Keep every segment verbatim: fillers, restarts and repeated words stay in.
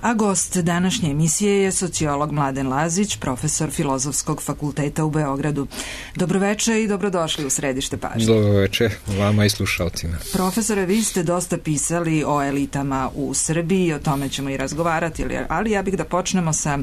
A gost današnje emisije je sociolog Mladen Lazić, profesor Filozofskog fakulteta u Beogradu. Dobroveče i dobrodošli u Središte pažnje. Dobroveče vama i slušalcima. Profesore, vi ste dosta pisali o elitama u Srbiji, o tome ćemo i razgovarati, ali ja bih da počnemo sa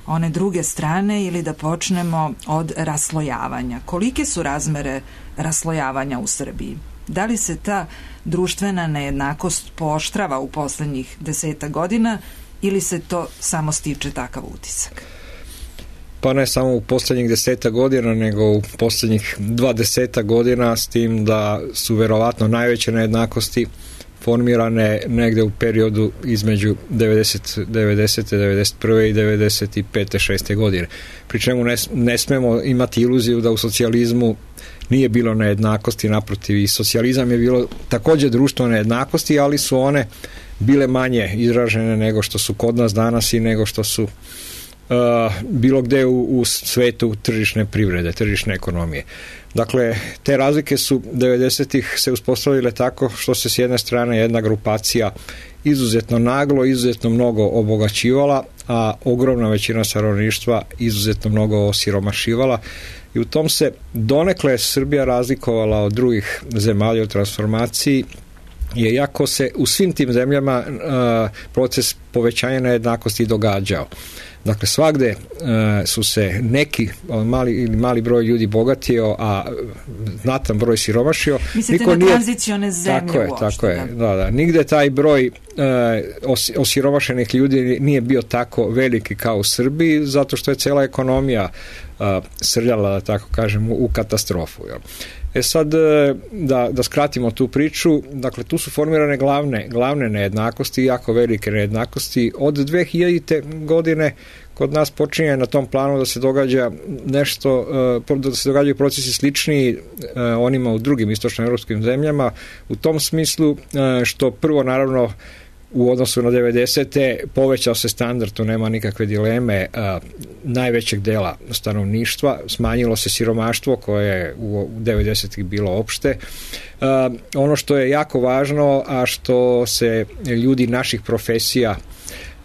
one druge strane ili da počnemo od raslojavanja. Kolike su razmere raslojavanja u Srbiji? Da li se ta društvena nejednakost pooštrava u poslednjih deseta godina ili se to samo stiče takav utisak? Pa ne samo u poslednjih deseta godina, nego u poslednjih dvadeseta godina, s tim da su verovatno najveće nejednakosti formirane negde u periodu između devedesete, devedesete, devedeset prve i devedeset pete šeste godine. Pri čemu ne, ne smemo imati iluziju da u socijalizmu nije bilo nejednakosti, naprotiv, i socijalizam je bilo takođe društvo nejednakosti, ali su one bile manje izražene nego što su kod nas danas i nego što su uh, bilo gde u, u svetu tržišne privrede, tržišne ekonomije. Dakle, te razlike su devedesetih se uspostavile tako što se s jedne strane jedna grupacija izuzetno naglo, izuzetno mnogo obogaćivala, a ogromna većina stanovništva izuzetno mnogo osiromašivala. I u tom se donekle Srbija razlikovala od drugih zemalja u transformaciji, je iako se u svim tim zemljama uh, proces povećanja nejednakosti događao. Dakle, svagde uh, su se neki mali ili mali broj ljudi bogatio, a znatan broj siromašio. Mislite na tranzicione zemlje tako je, uopšte. Tako je, da, da. Nigde taj broj uh, os, osiromašenih ljudi nije bio tako veliki kao u Srbiji, zato što je cela ekonomija uh, srljala, da tako kažem, u, u katastrofu. Jel? E sad, da, da skratimo tu priču, dakle, tu su formirane glavne, glavne nejednakosti, jako velike nejednakosti. Od dve hiljadite godine kod nas počinje na tom planu da se događa nešto, da se događaju procesi sličniji onima u drugim istočnoevropskim zemljama, u tom smislu što prvo, naravno, u odnosu na devedesete povećao se standard, tu nema nikakve dileme, a, najvećeg dela stanovništva, smanjilo se siromaštvo koje je u devedesetih bilo opšte. A, ono što je jako važno, a što se ljudi naših profesija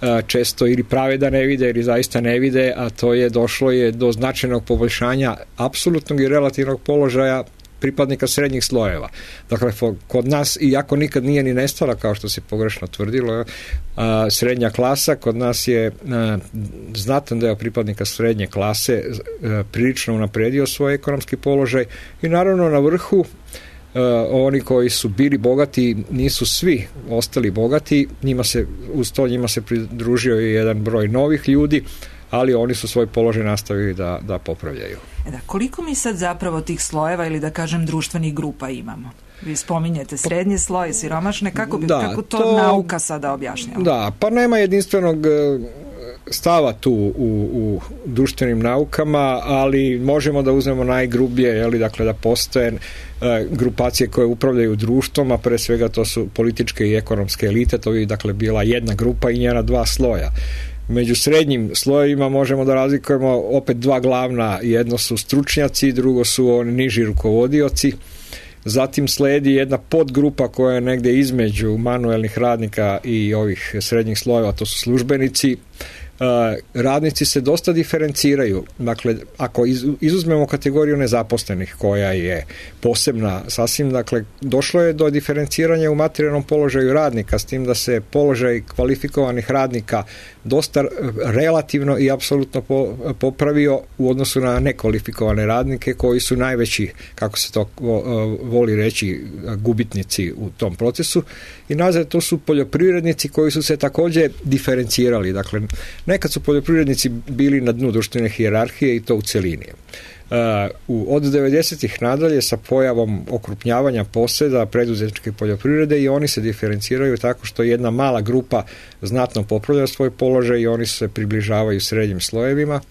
a, često ili prave da ne vide ili zaista ne vide, a to je došlo je do značajnog poboljšanja apsolutnog i relativnog položaja pripadnika srednjih slojeva. Dakle, kod nas, iako nikad nije ni nestala, kao što se pogrešno tvrdilo, a, srednja klasa, kod nas je a, znatan deo pripadnika srednje klase a, prilično unapredio svoj ekonomski položaj i naravno na vrhu a, oni koji su bili bogati nisu svi ostali bogati, njima se, uz to njima se pridružio i jedan broj novih ljudi, ali oni su svoj položaj nastavili da, da popravljaju. E da, koliko mi sad zapravo tih slojeva ili da kažem društvenih grupa imamo? Vi spominjete srednji sloj, siromašne, kako, bi, da, kako to, to nauka sada objašnjava? Da, pa nema jedinstvenog stava tu u, u društvenim naukama, ali možemo da uzmemo najgrublje, jeli, dakle da postoje grupacije koje upravljaju društvom, a pre svega to su političke i ekonomske elite, to bi dakle bila jedna grupa i njena dva sloja. Među srednjim slojevima možemo da razlikujemo opet dva glavna, jedno su stručnjaci, drugo su oni niži rukovodioci, zatim sledi jedna podgrupa koja je negde između manuelnih radnika i ovih srednjih slojeva, to su službenici. Radnici se dosta diferenciraju, dakle, ako izuzmemo kategoriju nezaposlenih koja je posebna sasvim, dakle, došlo je do diferenciranja u materijalnom položaju radnika, s tim da se položaj kvalifikovanih radnika dosta relativno i apsolutno popravio u odnosu na nekvalifikovane radnike koji su najveći, kako se to voli reći, gubitnici u tom procesu. I nazad to su poljoprivrednici koji su se takođe diferencirali, dakle, nekad su poljoprivrednici bili na dnu društvene hijerarhije i to u celini. Uh, od devedesetih nadalje sa pojavom okrupnjavanja poseda preduzetničke poljoprivrede i oni se diferenciraju tako što jedna mala grupa znatno popravlja svoj položaj i oni se približavaju srednjim slojevima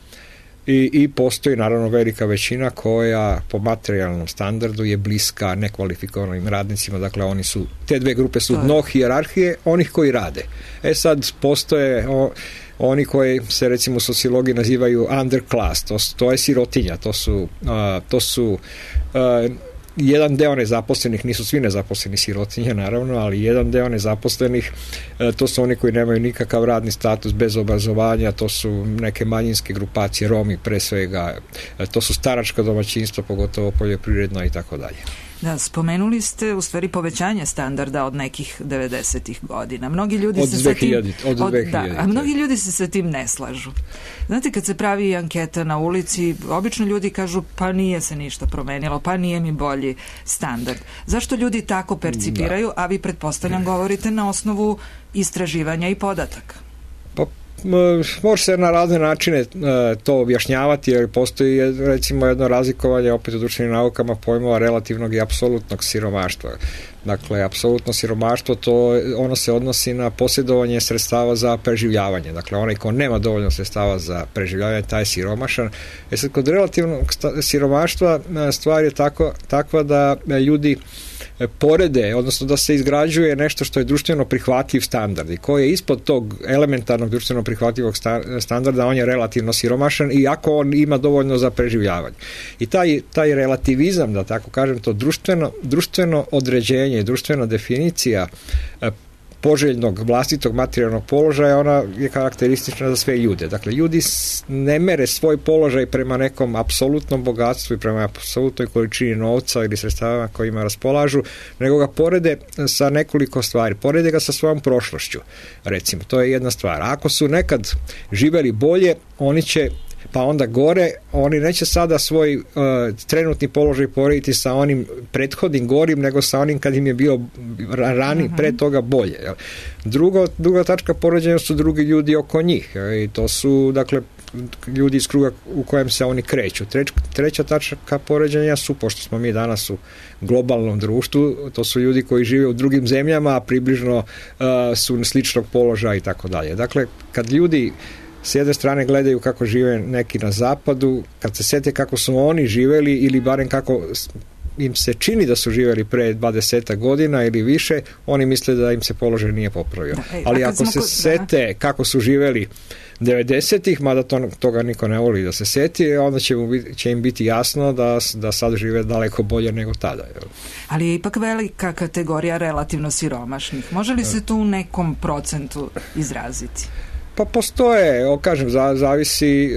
i, i postoji naravno velika većina koja po materijalnom standardu je bliska nekvalifikovanim radnicima, dakle oni su, te dve grupe su dno hijerarhije onih koji rade. E sad postoje o, oni koji se recimo u sociologiji nazivaju underclass, to, to je sirotinja, to su, uh, to su uh, jedan deo nezaposlenih, nisu svi nezaposleni sirotinje naravno, ali jedan deo nezaposlenih, to su oni koji nemaju nikakav radni status, bez obrazovanja, to su neke manjinske grupacije, Romi pre svega, to su staračka domaćinstva, pogotovo poljoprivredno i tako dalje. Da, spomenuli ste u stvari povećanje standarda od nekih devedesetih godina. Mnogi ljudi od se dve hiljade, sa tim, od, od da, a mnogi ljudi se sa tim ne slažu. Znate, kad se pravi anketa na ulici, obično ljudi kažu pa nije se ništa promenilo, pa nije mi bolji standard. Zašto ljudi tako percipiraju, da. A vi pretpostavljam govorite na osnovu istraživanja i podataka? Pa može se na razne načine to objašnjavati, jer postoji recimo jedno razlikovanje opet u društvenim naukama pojmova relativnog i apsolutnog siromaštva. Dakle, apsolutno siromaštvo, to ono se odnosi na posjedovanje sredstava za preživljavanje. Dakle, onaj ko nema dovoljno sredstava za preživljavanje, taj je siromašan. E sad, kod relativnog siromaštva stvar je tako, takva da ljudi porede, odnosno da se izgrađuje nešto što je društveno prihvatljiv standard i koji je ispod tog elementarnog društveno prihvatljivog standarda, on je relativno siromašan, iako on ima dovoljno za preživljavanje. I taj, taj relativizam, da tako kažem, to društveno, društveno određenje, društvena definicija poželjnog vlastitog materijalnog položaja, ona je karakteristična za sve ljude. Dakle, ljudi ne mere svoj položaj prema nekom apsolutnom bogatstvu i prema apsolutnoj količini novca ili sredstava kojima raspolažu, nego ga porede sa nekoliko stvari. Porede ga sa svojom prošlošću, recimo. To je jedna stvar. Ako su nekad živeli bolje, oni će pa onda gore, oni neće sada svoj uh, trenutni položaj porediti sa onim prethodnim gorim, nego sa onim kad im je bio rani, mm-hmm. pre toga bolje. Jel? Drugo, druga tačka poređenja su drugi ljudi oko njih. Jel? I to su, dakle, ljudi iz kruga u kojem se oni kreću. Treć, treća tačka poređenja su, pošto smo mi danas u globalnom društvu, to su ljudi koji žive u drugim zemljama, a približno uh, su sličnog položaja i tako dalje. Dakle, kad ljudi s jedne strane gledaju kako žive neki na zapadu, kad se sete kako su oni živeli ili barem kako im se čini da su živeli pre dvadeset godina ili više, oni misle da im se položaj nije popravio. Da, ej, ali ako se ko... sete da. kako su živeli devedesetih, mada to, toga niko ne voli da se seti, onda će, mu, će im biti jasno da, da sad žive daleko bolje nego tada. Ali je ipak velika kategorija relativno siromašnih. Može li se tu u nekom procentu izraziti? Pa postoje, kažem, zavisi,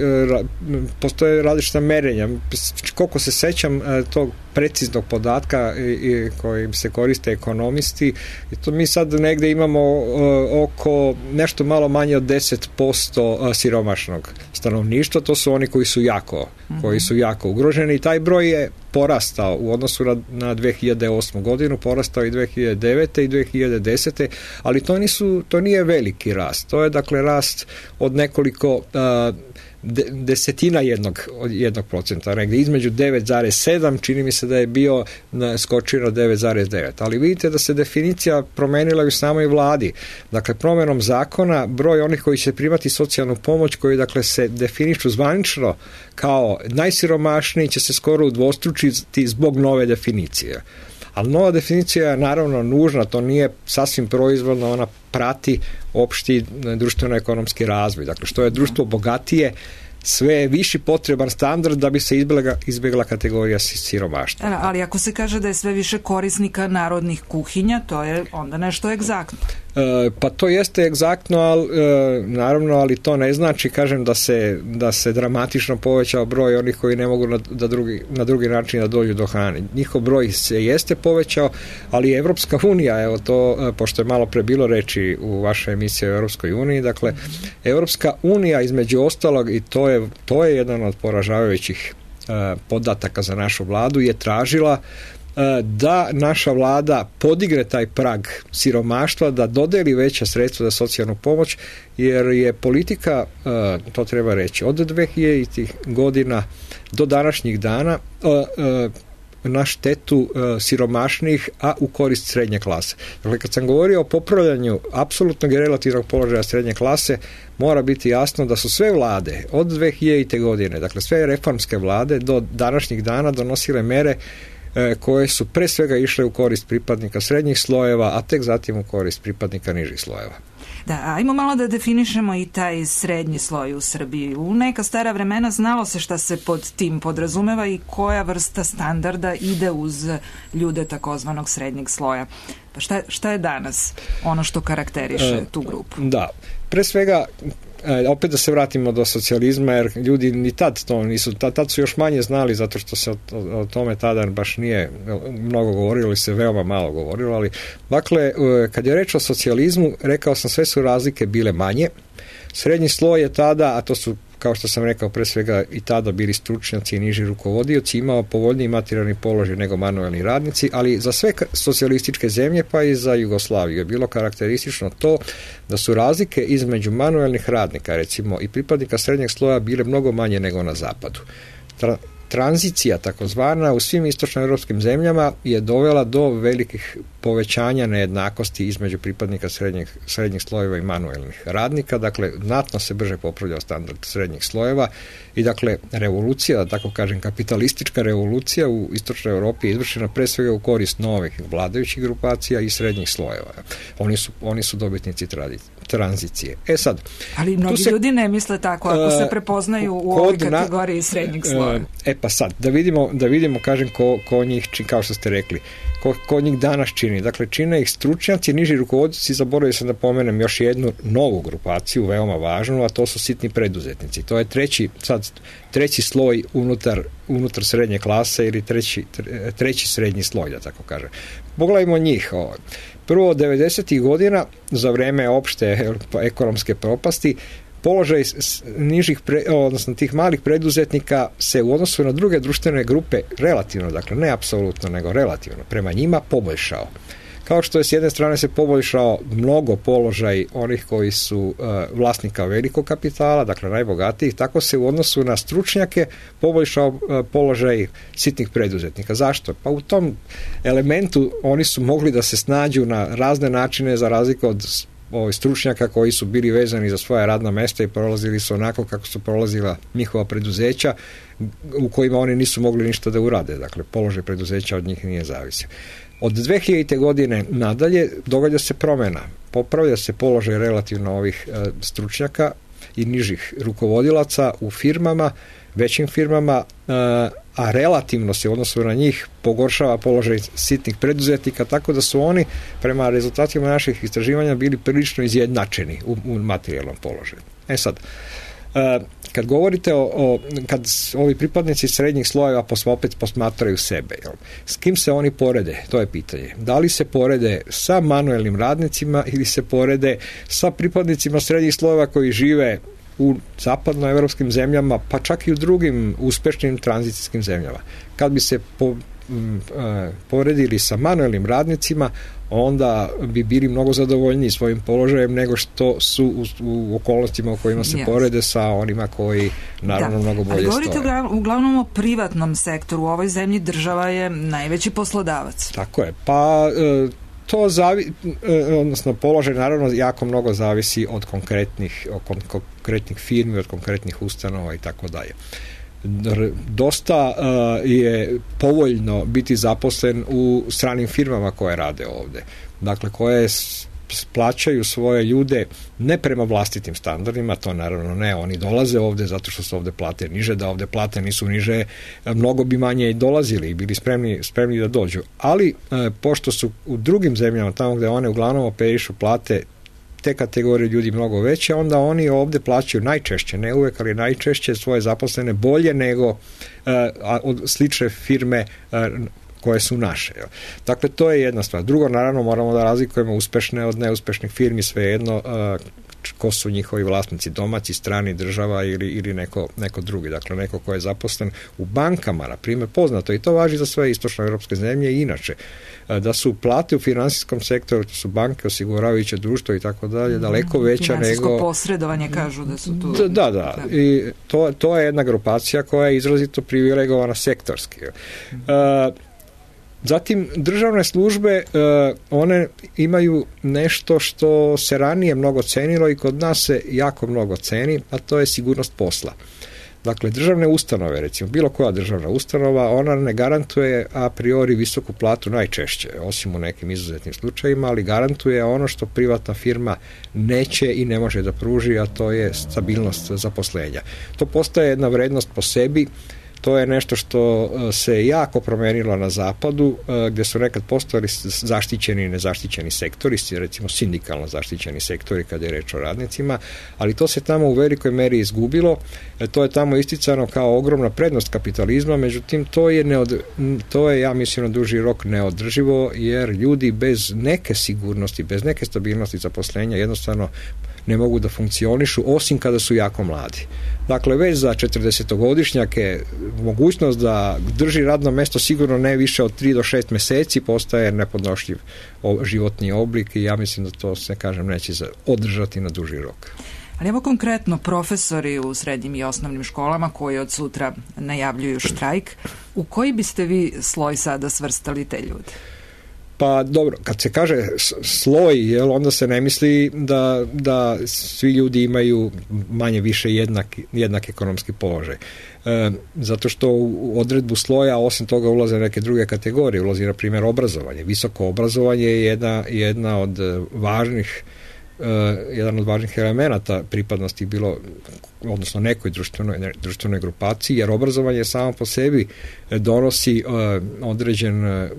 postoje različita merenja. Koliko se sećam tog preciznog podatka kojim se koriste ekonomisti, to mi sad negde imamo oko nešto malo manje od deset posto siromašnog stanovništva, to su oni koji su jako, koji su jako ugroženi i taj broj je porastao u odnosu na, na dve hiljade osmu godinu, porastao i dve hiljade devete i dve hiljade desete, ali to nisu, to nije veliki rast. To je dakle rast od nekoliko uh, de, desetina jednog, jednog procenta, negde između devet zarez sedam, čini mi se da je bio skočio na devet zarez devet. Ali vidite da se definicija promenila u samoj vladi. Dakle, promjenom zakona, broj onih koji će primati socijalnu pomoć, koji dakle se definišu zvanično kao najsiromašniji, će se skoro udvostručiti zbog nove definicije. Ali nova definicija je naravno nužna, to nije sasvim proizvoljno, ona prati opšti društveno-ekonomski razvoj. Dakle, što je društvo bogatije, sve je viši potreban standard da bi se izbjegla, izbjegla kategorija siromaštva. Ali ako se kaže da je sve više korisnika narodnih kuhinja, to je onda nešto egzaktno. E, pa to jeste egzaktno, ali, e, naravno, ali to ne znači, kažem, da se, da se dramatično povećao broj onih koji ne mogu na, da drugi, na drugi način da dođu do hrane. Njihov broj se jeste povećao, ali Evropska unija, evo to, pošto je malo pre bilo reči u vašoj emisiji o Evropskoj uniji, dakle, Evropska unija između ostalog, i to je, to je jedan od poražavajućih e, podataka za našu vladu, je tražila da naša vlada podigne taj prag siromaštva, da dodeli veća sredstva za socijalnu pomoć, jer je politika, to treba reći, od dve hiljaditih godina do današnjih dana na štetu siromašnih, a u korist srednje klase. Dakle, kad sam govorio o popravljanju apsolutnog i relativnog položaja srednje klase, mora biti jasno da su sve vlade od dve hiljadite godine, dakle sve reformske vlade do današnjih dana donosile mere koje su pre svega išle u korist pripadnika srednjih slojeva, a tek zatim u korist pripadnika nižih slojeva. Da, ajmo malo da definišemo i taj srednji sloj u Srbiji. U neka stara vremena znalo se šta se pod tim podrazumeva i koja vrsta standarda ide uz ljude takozvanog srednjeg sloja. Pa šta, šta je danas ono što karakteriše tu grupu? Da, pre svega opet da se vratimo do socijalizma, jer ljudi ni tad to nisu, tad, tad su još manje znali zato što se o, o tome tada baš nije mnogo govorilo ili se veoma malo govorilo, ali dakle, kad je reč o socijalizmu, rekao sam, sve su razlike bile manje. Srednji sloj je tada, a to su, kao što sam rekao, pre svega i tada bili stručnjaci i niži rukovodioci, imao povoljniji materijalni položaj nego manuelni radnici, ali za sve socijalističke zemlje, pa i za Jugoslaviju je bilo karakteristično to da su razlike između manuelnih radnika, recimo, i pripadnika srednjeg sloja bile mnogo manje nego na zapadu. Tra- tranzicija, takozvana, u svim istočnoevropskim zemljama je dovela do velikih povećanja nejednakosti između pripadnika srednjih, srednjih slojeva i manuelnih radnika. Dakle, znatno se brže popravljao standard srednjih slojeva i dakle, revolucija, da tako kažem, kapitalistička revolucija u istočnoj Evropi je izvršena pre svega u korist novih vladajućih grupacija i srednjih slojeva. Oni su, oni su dobitnici tradicije. tranzicije. E sad, ali mnogi se, ljudi ne misle tako ako se prepoznaju u ovoj kategoriji na, srednjeg sloja. E pa sad, da vidimo, da vidimo kažem, ko, ko njih čini, kao što ste rekli, ko, ko njih danas čini. Dakle, čine ih stručnjaci, niži rukovodioci, zaboravio sam da pomenem još jednu novu grupaciju, veoma važnu, a to su sitni preduzetnici. To je treći, sad, treći sloj unutar, unutar srednje klase ili treći, treći srednji sloj, da tako kažem. Pogledajmo njih. Ovo. Prvo, devedesetih godina, za vreme opšte ekonomske propasti, položaj nižih, pre, odnosno tih malih preduzetnika se u odnosu na druge društvene grupe relativno, dakle ne apsolutno, nego relativno, prema njima poboljšao. Kao što je s jedne strane se poboljšao mnogo položaj onih koji su uh, vlasnika velikog kapitala, dakle najbogatijih, tako se u odnosu na stručnjake poboljšao uh, položaj sitnih preduzetnika. Zašto? Pa u tom elementu oni su mogli da se snađu na razne načine za razliku od ovih stručnjaka koji su bili vezani za svoja radna mesta i prolazili su onako kako su prolazila njihova preduzeća u kojima oni nisu mogli ništa da urade. Dakle, položaj preduzeća od njih nije zavisio. Od dve hiljadite. godine nadalje događa se promjena. Popravlja se položaj relativno ovih e, stručnjaka i nižih rukovodilaca u firmama, većim firmama, e, a relativno se u odnosu na njih pogoršava položaj sitnih preduzetnika, tako da su oni prema rezultatima naših istraživanja bili prilično izjednačeni u, u materijalnom položaju. E sad, e, kad govorite o, o kad ovi pripadnici srednjih slojeva opet posmatraju sebe, jel? S kim se oni porede? To je pitanje. Da li se porede sa manuelnim radnicima ili se porede sa pripadnicima srednjih slojeva koji žive u zapadnoevropskim zemljama, pa čak i u drugim uspešnim tranzicijskim zemljama. Kad bi se po, m, e, poredili sa manuelnim radnicima, onda bi bili mnogo zadovoljniji svojim položajem nego što su u, u okolnostima u kojima se yes. porede sa onima koji naravno da. mnogo bolje stoje. Ali govorite stoje. Uglavnom o privatnom sektoru. U ovoj zemlji država je najveći poslodavac. Tako je. Pa e, to zavi, odnosno položaj naravno jako mnogo zavisi od konkretnih, od konkretnih firmi, od konkretnih ustanova i tako dalje. Dosta uh, je povoljno biti zaposlen u stranim firmama koje rade ovde. Dakle, koje plaćaju svoje ljude ne prema vlastitim standardima, to naravno ne, oni dolaze ovde zato što su ovde plate niže, da ovde plate nisu niže, mnogo bi manje i dolazili i bili spremni, spremni da dođu. Ali, e, pošto su u drugim zemljama, tamo gde one uglavnom operišu plate te kategorije ljudi mnogo veće, onda oni ovde plaćaju najčešće, ne uvek, ali najčešće svoje zaposlene bolje nego e, od slične firme e, koje su naše. Dakle, to je jedna stvar. Drugo, naravno, moramo da razlikujemo uspešne od neuspešnih firmi, svejedno uh, ko su njihovi vlasnici, domaći, strani, država ili, ili neko, neko drugi. Dakle, neko ko je zaposlen u bankama, na primjer, poznato, i to važi za sve istočnoevropske zemlje i inače, uh, da su plate u finansijskom sektoru, to su banke, osiguravajuće društvo i tako dalje, daleko veća nego... Finansijsko posredovanje kažu da su tu... Da, da, da. I to, to je jedna grupacija koja je izrazito privilegovana sektorski. Uh, Zatim, državne službe, one imaju nešto što se ranije mnogo cenilo i kod nas se jako mnogo ceni, a to je sigurnost posla. Dakle, državne ustanove, recimo, bilo koja državna ustanova, ona ne garantuje a priori visoku platu najčešće, osim u nekim izuzetnim slučajima, ali garantuje ono što privatna firma neće i ne može da pruži, a to je stabilnost zaposlenja. To postaje jedna vrednost po sebi. To je nešto što se jako promenilo na zapadu, gdje su nekad postojali zaštićeni i nezaštićeni sektori, recimo sindikalno zaštićeni sektori kada je reč o radnicima, ali to se tamo u velikoj meri izgubilo. To je tamo isticano kao ogromna prednost kapitalizma, međutim to je, neod, to je ja mislim na duži rok neodrživo, jer ljudi bez neke sigurnosti, bez neke stabilnosti zaposlenja jednostavno ne mogu da funkcionišu, osim kada su jako mladi. Dakle, već za četrdesetogodišnjake mogućnost da drži radno mesto sigurno ne više od tri do šest meseci postaje nepodnošljiv životni oblik i ja mislim da to se, kažem, neće održati na duži rok. Ali evo konkretno profesori u srednjim i osnovnim školama koji od sutra najavljuju štrajk, u koji biste vi sloj sada svrstali te ljude? Pa dobro, kad se kaže sloj, jel, onda se ne misli da, da svi ljudi imaju manje više jednak, jednak ekonomski položaj. E, zato što u odredbu sloja osim toga ulaze neke druge kategorije, ulazi na primjer obrazovanje. Visoko obrazovanje je jedna, jedna od važnih Uh, jedan od važnih elemenata pripadnosti bilo, odnosno nekoj društvenoj, ne, društvenoj grupaciji, jer obrazovanje samo po sebi donosi uh, određen uh,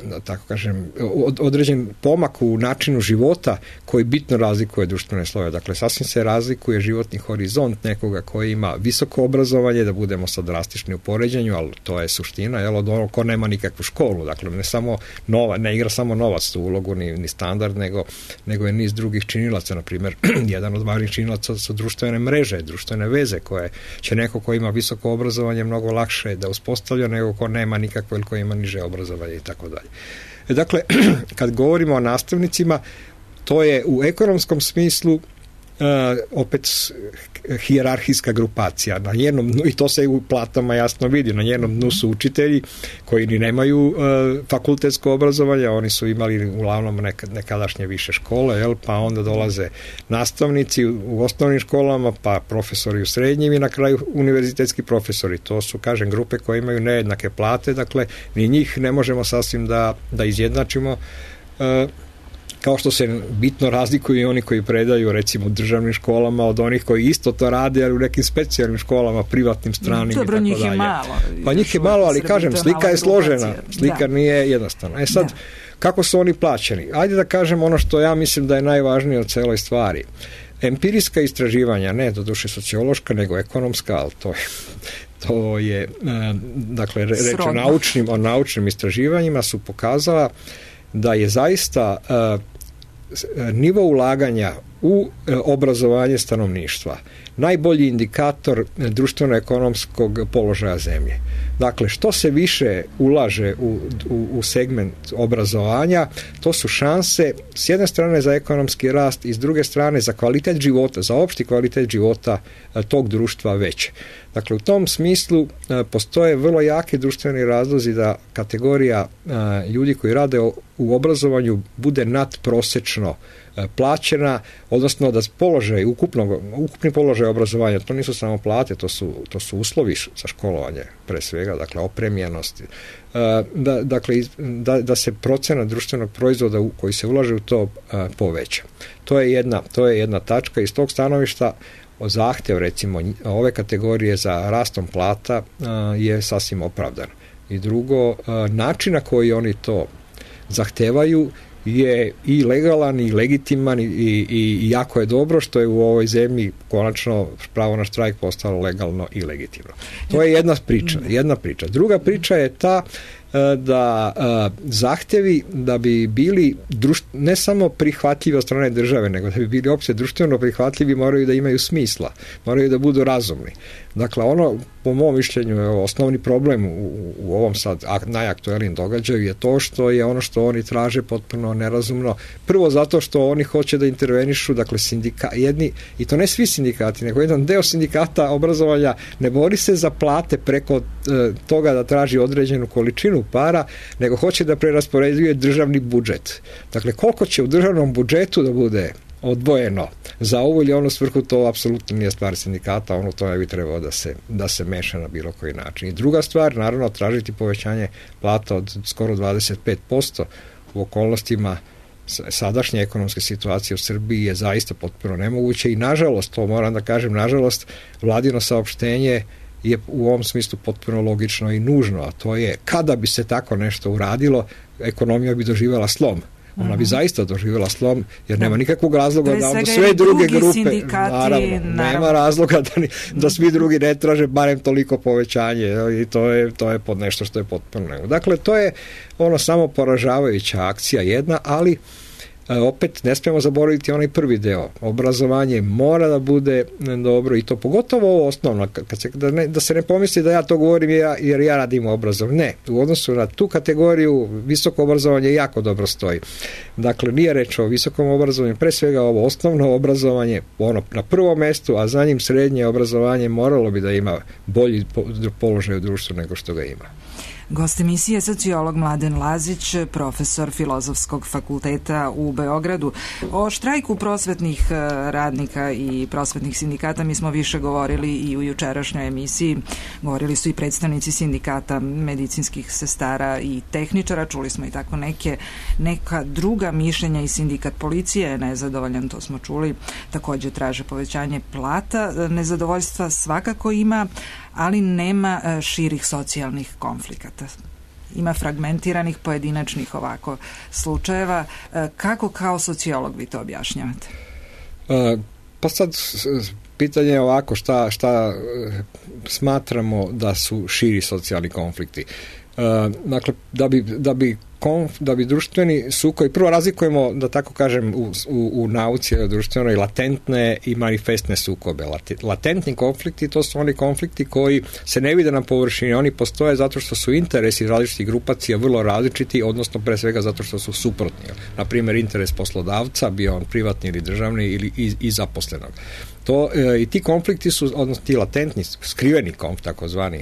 da tako kažem, određen pomak u načinu života koji bitno razlikuje društvene slojeve. Dakle, sasvim se razlikuje životni horizont nekoga koji ima visoko obrazovanje, da budemo sad drastični u poređenju, ali to je suština, jel, od onog ko nema nikakvu školu. Dakle, ne samo nova, ne igra samo novac tu ulogu, ni, ni standard, nego, nego je niz drugih činilaca. Na primjer, jedan od važnih činilaca su društvene mreže, društvene veze, koje će neko ko ima visoko obrazovanje mnogo lakše da uspostavlja nego ko nema nikakvo ili ko ima niže obrazovanje i tako dalje. Dakle, kad govorimo o nastavnicima, to je u ekonomskom smislu uh, opet hijerarhijska grupacija. Na njenom dnu, i to se u platama jasno vidi, na njenom dnu su učitelji koji ni nemaju uh, fakultetsko obrazovanje, oni su imali uglavnom nekad, nekadašnje više škole, jel, pa onda dolaze nastavnici u, u osnovnim školama, pa profesori u srednjim i na kraju univerzitetski profesori. To su, kažem, grupe koje imaju nejednake plate, dakle, ni njih ne možemo sasvim da, da izjednačimo. Uh, kao što se bitno razlikuju i oni koji predaju recimo u državnim školama od onih koji isto to rade, ali u nekim specijalnim školama, privatnim, stranim. Dobro, i tako njih dalje. je malo. Pa njih je malo, ali kažem, slika je složena. Slika da. Nije jednostavna. E sad, da. Kako su oni plaćeni? Ajde da kažem ono što ja mislim da je najvažnije od celoj stvari. Empirijska istraživanja, ne doduše sociološka, nego ekonomska, ali to je... To je, dakle, reč o naučnim, o naučnim istraživanjima su pokazala da je zaista uh, nivo ulaganja u uh, obrazovanje stanovništva najbolji indikator društveno-ekonomskog položaja zemlje. Dakle, što se više ulaže u, u, u segment obrazovanja, to su šanse s jedne strane za ekonomski rast i s druge strane za kvalitet života, za opšti kvalitet života uh, tog društva veće. Dakle, u tom smislu uh, postoje vrlo jake društveni razlozi da kategorija uh, ljudi koji rade o, u obrazovanju bude nadprosečno uh, plaćena, odnosno da položaj, ukupno, ukupni položaj obrazovanja, to nisu samo plate, to su, to su uslovi za školovanje, pre svega, dakle, opremljenosti. Uh, da, dakle, da, da se procena društvenog proizvoda u, koji se ulaže u to uh, poveća. To je jedna, to je jedna tačka. Iz tog stanovišta zahtev, recimo, ove kategorije za rastom plata uh, je sasvim opravdan. I drugo, uh, način na koji oni to zahtevaju je i legalan i legitiman i, i, i jako je dobro što je u ovoj zemlji konačno pravo na štrajk postalo legalno i legitimno. To je jedna priča. Jedna priča. Druga priča je ta da zahtevi da bi bili društ, ne samo prihvatljivi od strane države, nego da bi bili opće društveno prihvatljivi, moraju da imaju smisla, moraju da budu razumni. Dakle, ono, po mom mišljenju, je osnovni problem u, u ovom sad najaktuelnijem događaju je to što je ono što oni traže potpuno nerazumno. Prvo zato što oni hoće da intervenišu, dakle, sindika, jedni, i to ne svi sindikati, nego jedan deo sindikata obrazovanja ne bori se za plate preko e, toga da traži određenu količinu para, nego hoće da preraspoređuje državni budžet. Dakle, koliko će u državnom budžetu da bude odvojeno za ovu ili onu svrhu, to apsolutno nije stvar sindikata, ono to ne bi trebalo da se, da se meša na bilo koji način. I druga stvar, naravno, tražiti povećanje plata od skoro dvadeset pet posto u okolnostima sadašnje ekonomske situacije u Srbiji je zaista potpuno nemoguće i nažalost, to moram da kažem, nažalost, vladino saopštenje je u ovom smislu potpuno logično i nužno, a to je kada bi se tako nešto uradilo, ekonomija bi doživjela slom. Ona bi zaista doživjela slom, jer nema nikakvog razloga da onda sve druge grupe, naravno, nema razloga da, ni, da svi drugi ne traže barem toliko povećanje i to je, to je pod nešto što je potpuno nemoguće. Dakle, to je ono samo poražavajuća akcija jedna, ali opet ne smijemo zaboraviti onaj prvi deo. Obrazovanje mora da bude dobro i to pogotovo ovo osnovno. Kad se, da, ne, da se ne pomisli da ja to govorim ja, jer ja radim obrazovanje. Ne, u odnosu na tu kategoriju visoko obrazovanje jako dobro stoji. Dakle, nije reč o visokom obrazovanju, pre svega ovo osnovno obrazovanje ono na prvom mestu, a za njim srednje obrazovanje moralo bi da ima bolji položaj u društvu nego što ga ima. Gost emisije je sociolog Mladen Lazić, profesor Filozofskog fakulteta u Beogradu. O štrajku prosvetnih radnika i prosvetnih sindikata mi smo više govorili i u jučerašnjoj emisiji. Govorili su i predstavnici sindikata medicinskih sestara i tehničara. Čuli smo i tako neke, neka druga mišljenja i sindikat policije je nezadovoljan, to smo čuli. Također traže povećanje plata. Nezadovoljstva svakako ima, ali nema širih socijalnih konflikata. Ima fragmentiranih pojedinačnih ovako slučajeva. Kako kao sociolog vi to objašnjavate? Pa sad pitanje je ovako, šta, šta smatramo da su širi socijalni konflikti. Dakle, da bi, da bi Konf, da bi društveni sukobi, prvo razlikujemo, da tako kažem, u, u, u nauci društvenoj latentne i manifestne sukobe. Latentni konflikti, to su oni konflikti koji se ne vide na površini, oni postoje zato što su interesi različitih grupacija vrlo različiti, odnosno pre svega zato što su suprotni. Na primjer, interes poslodavca, bio on privatni ili državni ili i, i zaposlenog. To, e, i ti konflikti su, odnosno ti latentni, skriveni konflikti, takozvani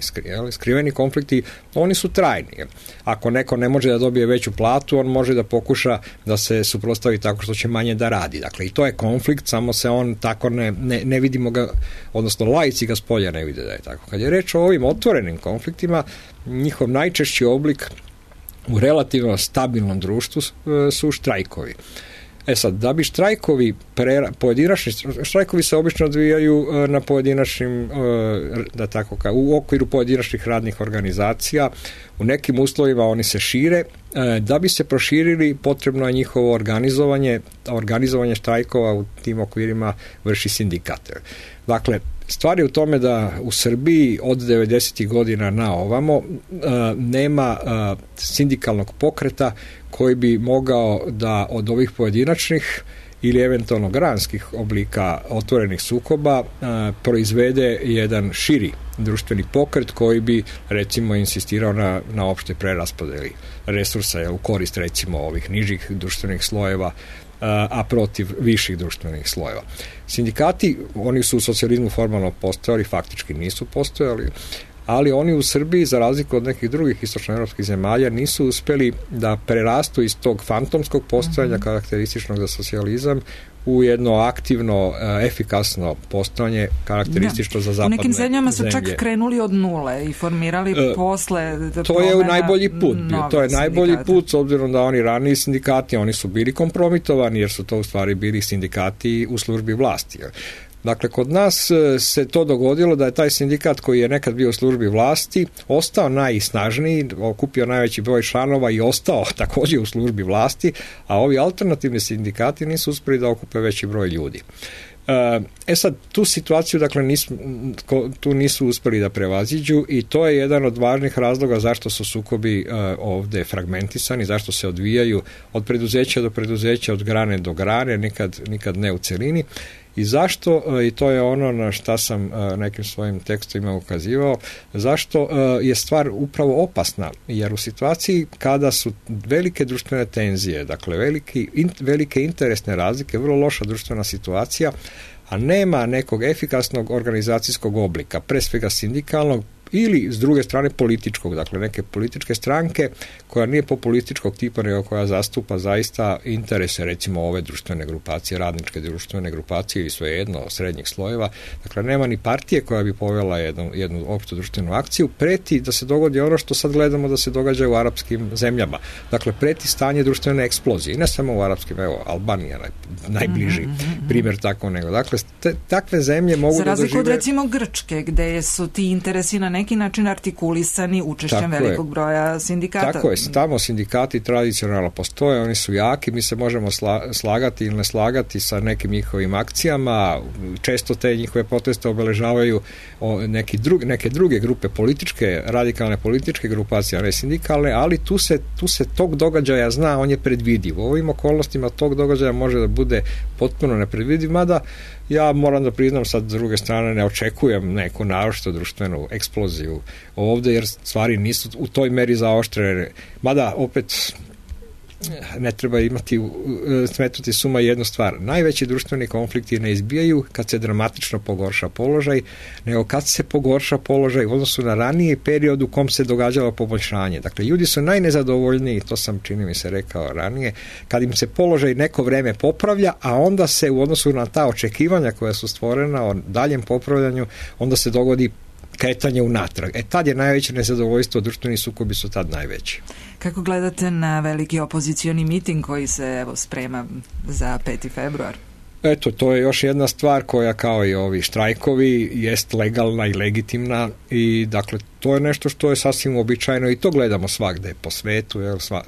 skriveni konflikti, oni su trajni. Ako neko ne može da dobije veću platu, on može da pokuša da se suprotstavi tako što će manje da radi. Dakle, i to je konflikt, samo se on tako ne, ne, ne vidimo ga, odnosno laici ga s polja ne vide da je tako. Kad je reč o ovim otvorenim konfliktima, njihov najčešći oblik u relativno stabilnom društvu su štrajkovi. E sad, da bi štrajkovi, prera, pojedinačni štrajkovi se obično odvijaju na pojedinačnim, da tako kao, u okviru pojedinačnih radnih organizacija, u nekim uslovima oni se šire, da bi se proširili potrebno je njihovo organizovanje, organizovanje štrajkova u tim okvirima vrši sindikat. Dakle, stvar je u tome da u Srbiji od devedesetih godina na ovamo nema sindikalnog pokreta koji bi mogao da od ovih pojedinačnih ili eventualno granskih oblika otvorenih sukoba proizvede jedan širi društveni pokret koji bi recimo insistirao na, na opšte preraspodeli resursa u korist recimo ovih nižih društvenih slojeva, a protiv viših društvenih slojeva. Sindikati, oni su u socijalizmu formalno postojali, faktički nisu postojali, ali oni u Srbiji, za razliku od nekih drugih istočnoevropskih zemalja, nisu uspeli da prerastu iz tog fantomskog postojanja mm-hmm. karakterističnog za socijalizam u jedno aktivno, efikasno postojanje karakteristično da. za zapadne zemlje. U nekim zemljama su čak krenuli od nule i formirali e, posle to je najbolji put bio. To je najbolji sindikata. Put, s obzirom da oni raniji sindikati, oni su bili kompromitovani, jer su to u stvari bili sindikati u službi vlasti. Dakle, kod nas se to dogodilo da je taj sindikat koji je nekad bio u službi vlasti ostao najsnažniji, okupio najveći broj članova i ostao također u službi vlasti, a ovi alternativni sindikati nisu uspjeli da okupe veći broj ljudi. E sad, tu situaciju, dakle, nisu, tu nisu uspjeli da prevaziđu i to je jedan od važnih razloga zašto su sukobi ovde fragmentisani, zašto se odvijaju od preduzeća do preduzeća, od grane do grane, nikad, nikad ne u celini. I zašto, i to je ono na šta sam nekim svojim tekstovima ukazivao, zašto je stvar upravo opasna, jer u situaciji kada su velike društvene tenzije, dakle veliki, in, velike interesne razlike, vrlo loša društvena situacija, a nema nekog efikasnog organizacijskog oblika, pre svega sindikalnog ili s druge strane političkog, dakle neke političke stranke koja nije populističkog tipa, nego koja zastupa zaista interese, recimo ove društvene grupacije, radničke društvene grupacije ili svejedno srednjih slojeva. Dakle, nema ni partije koja bi povela jednu, jednu opštu društvenu akciju. Preti da se dogodi ono što sad gledamo da se događa u arapskim zemljama. Dakle, preti stanje društvene eksplozije. I ne samo u arapskim, evo, Albanija naj, najbliži mm-hmm. primjer tako nego. Dakle, te, takve zemlje mogu da dožive... Za razliku od recimo Grčke, gde su ti interesi na neki način artikulisani učešćem tako velikog je. broja sindikata. Tako je, tamo sindikati tradicionalno postoje, oni su jaki, mi se možemo sla, slagati ili ne slagati sa nekim njihovim akcijama, često te njihove proteste obeležavaju neki drugi, neke druge grupe političke, radikalne političke grupacije, a ne sindikalne, ali tu se, tu se tog događaja zna, on je predvidiv. U ovim okolnostima tog događaja može da bude potpuno nepredvidiv, mada ja moram da priznam sad s druge strane ne očekujem neku naročito društvenu eksploziju ovde, jer stvari nisu u toj meri zaoštrene. Mada opet ne treba imati smetnuti suma jednu stvar. Najveći društveni konflikti ne izbijaju kad se dramatično pogorša položaj, nego kad se pogorša položaj u odnosu na raniji period u kom se događalo poboljšanje. Dakle, ljudi su najnezadovoljniji, to sam čini mi se rekao ranije, kad im se položaj neko vreme popravlja, a onda se u odnosu na ta očekivanja koja su stvorena o daljem popravljanju, onda se dogodi kretanje unatrag. E tad je najveće nezadovoljstvo, društveni sukobi su tad najveći. Kako gledate na veliki opozicioni miting koji se evo sprema za peti februar? Eto, to je još jedna stvar koja kao i ovi štrajkovi jest legalna i legitimna i dakle to je nešto što je sasvim uobičajeno i to gledamo svagde po svetu. Jel, sva...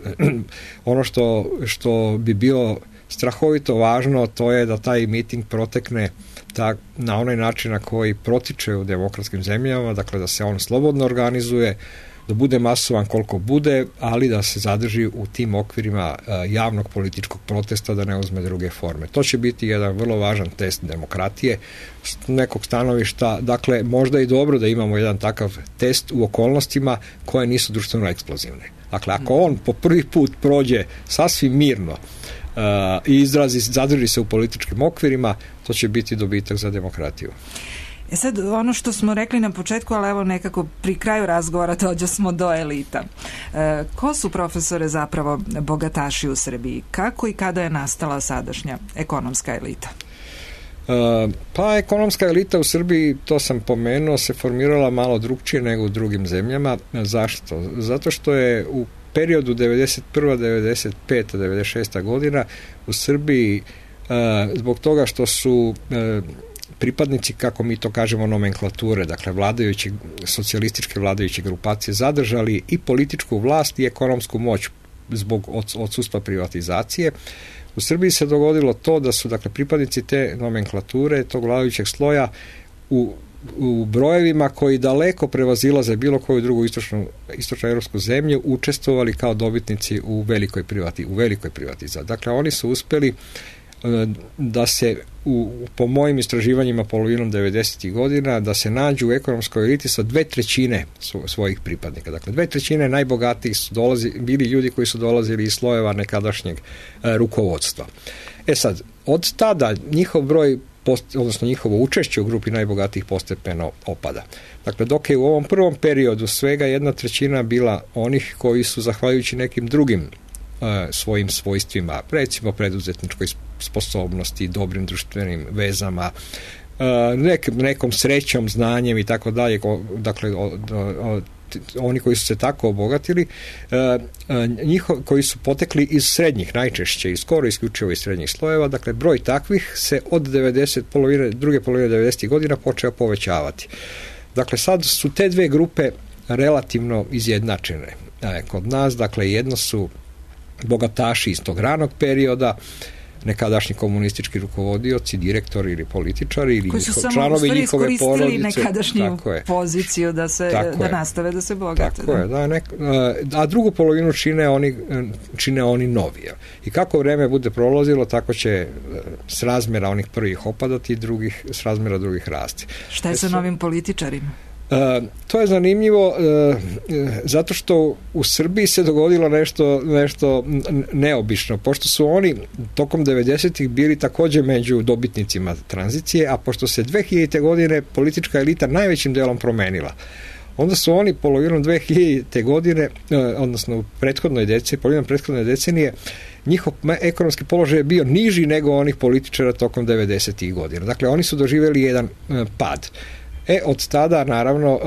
ono što, što bi bilo strahovito važno, to je da taj miting protekne tak, na onaj način na koji protiče u demokratskim zemljama, dakle da se on slobodno organizuje, da bude masovan koliko bude, ali da se zadrži u tim okvirima javnog političkog protesta, da ne uzme druge forme. To će biti jedan vrlo važan test demokratije s nekog stanovišta. Dakle, možda i dobro da imamo jedan takav test u okolnostima koje nisu društveno eksplozivne. Dakle, ako on po prvi put prođe sasvim mirno Uh, i izrazi, zadrži se u političkim okvirima, to će biti dobitak za demokratiju. E sad, ono što smo rekli na početku, ali evo nekako pri kraju razgovora dođe smo do elita. E, ko su, profesore, zapravo bogataši u Srbiji? Kako i kada je nastala sadašnja ekonomska elita? Uh, pa ekonomska elita u Srbiji, to sam pomenuo, se formirala malo drugčije nego u drugim zemljama. Zašto? Zato što je u periodu devedeset prva, devedeset peta, devedeset šesta godina u Srbiji uh, zbog toga što su uh, pripadnici, kako mi to kažemo, nomenklature, dakle vladajući, socijalističke vladajuće grupacije zadržali i političku vlast i ekonomsku moć zbog odsustva privatizacije. U Srbiji se dogodilo to da su dakle pripadnici te nomenklature, tog vladajućeg sloja u u brojevima koji daleko prevazilaze bilo koju drugu istočnu, istočno evropsku zemlju učestvovali kao dobitnici u velikoj privati, u velikoj privatizaciji. Dakle, oni su uspeli da se u, po mojim istraživanjima polovinom devedesetih godina da se nađu u ekonomskoj eliti sa dve trećine svojih pripadnika. Dakle, dve trećine najbogatijih su dolazi, bili ljudi koji su dolazili iz slojeva nekadašnjeg e, rukovodstva. E sad, od tada njihov broj Post, odnosno njihovo učešće u grupi najbogatijih postepeno opada. Dakle, dok je u ovom prvom periodu svega jedna trećina bila onih koji su, zahvaljujući nekim drugim uh, svojim svojstvima, recimo preduzetničkoj sposobnosti, dobrim društvenim vezama, uh, nek, nekom srećom, znanjem i tako dalje, dakle, o, o, oni koji su se tako obogatili, njihov, koji su potekli iz srednjih, najčešće i skoro isključivo iz srednjih slojeva, dakle broj takvih se od devedeset, polovine, druge polovine devedesetih godina počeo povećavati. Dakle, sad su te dve grupe relativno izjednačene. Kod nas, dakle, jedno su bogataši iz tog ranog perioda, nekadašnji komunistički rukovodioci, direktori ili političari ili koji su njihov, članovi njihove porodice. Koji su samo iskoristili nekadašnju poziciju da, se, da nastave da se bogate. Tako da. Je. Da, nek, a drugu polovinu čine oni, čine oni novi. I kako vreme bude prolazilo, tako će s razmjera onih prvih opadati i drugih, s razmjera drugih rasti. Šta je sa novim političarima? Uh, to je zanimljivo uh, zato što u Srbiji se dogodilo nešto, nešto neobično, pošto su oni tokom devedesetih bili također među dobitnicima tranzicije, a pošto se dve hiljadite godine politička elita najvećim delom promenila. onda su oni polovinom dve hiljadite godine, odnosno u prethodnoj deceniji, polovinom prethodne decenije, njihov ekonomski položaj je bio niži nego onih političara tokom devedesetih godina. Dakle, oni su doživjeli jedan pad. E, od tada, naravno,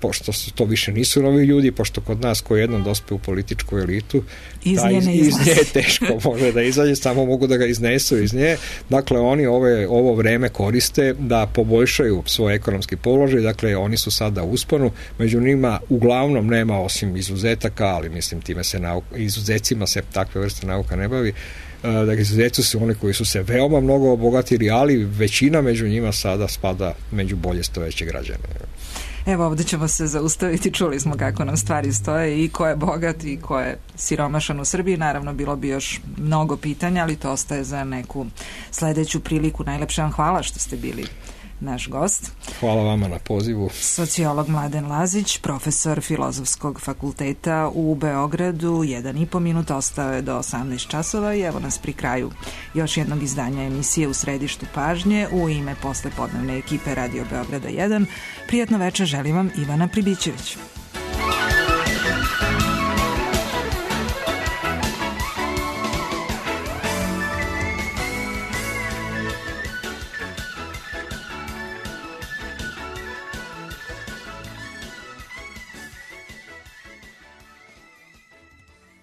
pošto to više nisu novi ljudi, pošto kod nas ko jednom dospe u političku elitu, iz nje, iz, iz nje teško može da izađe, samo mogu da ga iznesu iz nje. Dakle, oni ove, ovo vreme koriste da poboljšaju svoj ekonomski položaj, dakle, oni su sada u usponu, među njima uglavnom nema osim izuzetaka, ali mislim, time se nauka, izuzecima se takve vrste nauka ne bavi. Dakle, izuzetci su oni koji su se veoma mnogo obogatili, ali većina među njima sada spada među bolje stojeće građane. Evo, ovdje ćemo se zaustaviti, čuli smo kako nam stvari stoje i ko je bogat i ko je siromašan u Srbiji. Naravno, bilo bi još mnogo pitanja, ali to ostaje za neku sledeću priliku. Najlepše vam hvala što ste bili naš gost. Hvala vama na pozivu. Sociolog Mladen Lazić, profesor Filozofskog fakulteta u Beogradu. Jedan i po minut ostao je do osamnaest časova i evo nas pri kraju još jednog izdanja emisije U središtu pažnje. U ime poslepodnevne ekipe Radio Beograda jedan, prijatno večer želim vam Ivana Pribićević.